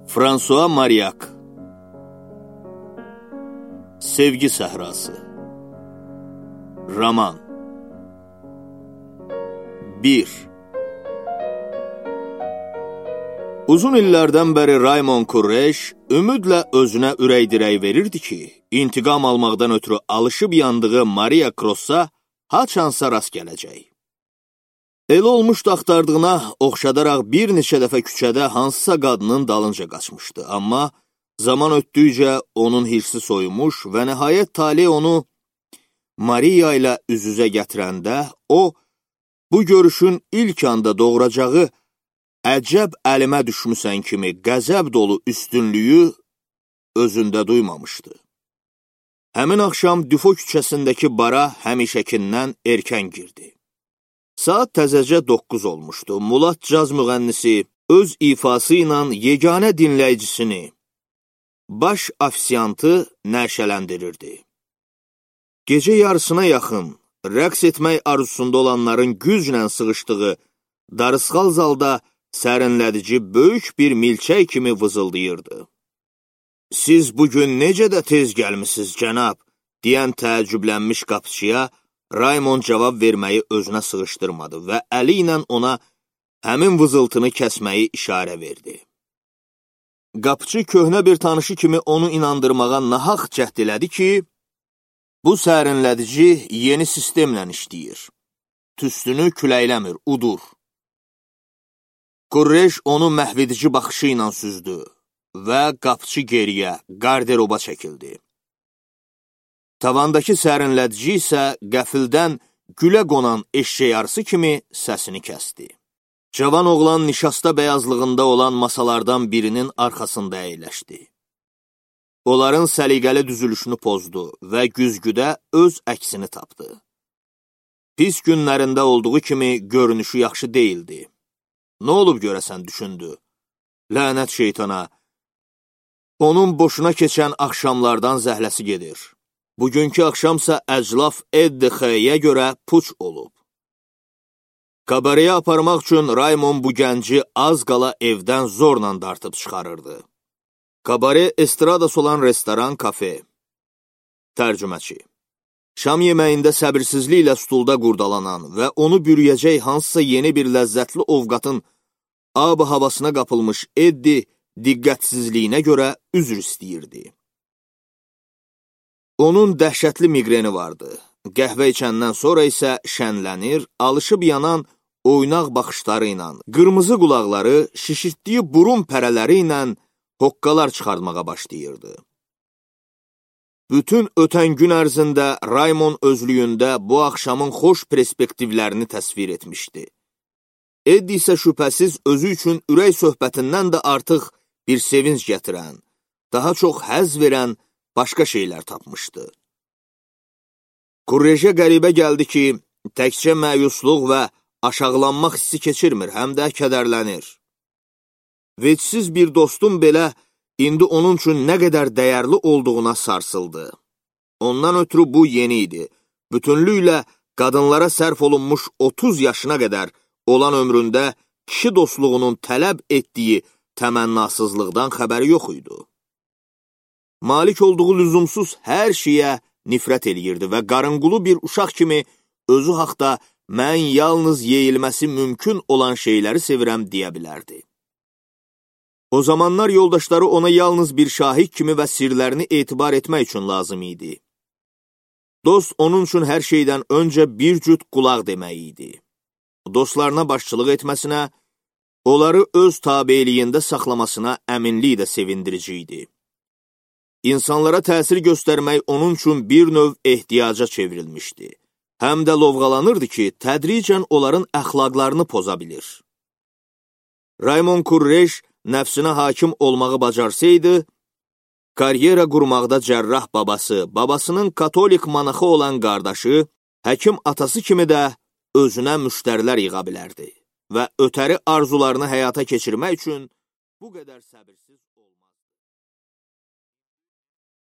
François Mariak Sevgi Səhrası Roman 1. Uzun illərdən bəri Raymond Courrèges ümidlə özünə ürək-dirək verirdi ki, intiqam almaqdan ötürü alışıb yandığı Maria Cross'a haçansa rast gələcək. Elə olmuşdu axtardığına oxşadaraq bir neçə dəfə küçədə hansısa qadının dalınca qaçmışdı. Amma zaman ötdükcə onun hirsi soyumuş və nəhayət tale onu Maria ilə üz-üzə gətirəndə o, bu görüşün ilk anda doğuracağı əcəb əlimə düşmüsən kimi qəzəb dolu üstünlüyü özündə duymamışdı. Həmin axşam Düfo küçəsindəki bara həmişəkindən erkən girdi. Saat təzəcə 9 olmuşdu. Mulat caz müğənnisi öz ifası ilə yeganə dinləyicisini, baş afisiyantı nəşələndirirdi. Gecə yarısına yaxın rəqs etmək arzusunda olanların güclə sığışdığı darısqal zalda sərinlədici böyük bir milçək kimi vızıldayırdı. "Siz bugün necə də tez gəlmisiniz, cənab?" deyən təəccüblənmiş qapıçıya Raymond cavab verməyi özünə sığışdırmadı və əli ilə ona həmin vızıltını kəsməyi işarə verdi. Qapıçı köhnə bir tanışı kimi onu inandırmağa nahaq cəhd elədi ki, bu sərinlədici yeni sistemlə işləyir. Tüstünü küləkləmir, udur. Courrèges onu məhvedici baxışı ilə süzdü və qapıçı geriyə, qarderoba çəkildi. Tavandakı sərinlədici isə qəfildən gülə qonan eşşək arısı kimi səsini kəsdi. Cavan oğlan nişasta bəyazlığında olan masalardan birinin arxasında əyləşdi. Onların səliqəli düzülüşünü pozdu və güzgüdə öz əksini tapdı. Pis günlərində olduğu kimi görünüşü yaxşı deyildi. "Nə olub görəsən?" düşündü. "Lənət şeytana, onun boşuna keçən axşamlardan zəhləsi gedir. Bugünkü axşamsa əclaf EDX-yə görə puç olub." Kabareyə aparmaq üçün Raymond bu gənci az qala evdən zorla dartıb çıxarırdı. Kabare estradası olan restoran, kafe. Tərcüməçi. Şam yeməyində səbirsizliklə stulda qurdalanan və onu bürüyəcək hansısa yeni bir ləzzətli ovqatın ab-ı havasına qapılmış Eddi diqqətsizliyinə görə üzr istəyirdi. Onun dəhşətli miqreni vardı. Qəhvə içəndən sonra isə şənlənir, alışıb yanan oynaq baxışları ilə, qırmızı qulaqları, şişirtdiyi burun pərələri ilə hoqqalar çıxartmağa başlayırdı. Bütün ötən gün ərzində Raymond özlüyündə bu axşamın xoş perspektivlərini təsvir etmişdi. Eddi isə şübhəsiz özü üçün ürək söhbətindən də artıq bir sevinç gətirən, daha çox həzz verən başqa şeylər tapmışdı. Courrèges'ə qəribə gəldi ki, təkcə məyusluq və aşağılanmaq hissi keçirmir, həm də kədərlənir. Vecsiz bir dostum belə indi onun üçün nə qədər dəyərli olduğuna sarsıldı. Ondan ötürü bu yeni idi. Bütünlüklə qadınlara sərf olunmuş 30 yaşına qədər olan ömründə kişi dostluğunun tələb etdiyi təmənnasızlıqdan xəbəri yox idi. Malik olduğu lüzumsuz hər şeyə nifrət eləyirdi və qarınqulu bir uşaq kimi özü haqda mən yalnız yeyilməsi mümkün olan şeyləri sevirəm deyə bilərdi. O zamanlar yoldaşları ona yalnız bir şahid kimi və sirlərini etibar etmək üçün lazım idi. Dost onun üçün hər şeydən öncə bir cüt qulaq demək idi. Dostlarına başçılıq etməsinə, onları öz tabeliyində saxlamasına əminlik də sevindirici idi. İnsanlara təsir göstərmək onun üçün bir növ ehtiyaca çevrilmişdi. Həm də lovğalanırdı ki, tədricən onların əxlaqlarını poza bilir. Raymond Courrèges nəfsinə hakim olmağı bacarsaydı, karyera qurmaqda cərrah babası, babasının katolik manaxı olan qardaşı, həkim atası kimi də özünə müştərilər yığa bilərdi və ötəri arzularını həyata keçirmək üçün bu qədər səbirsiz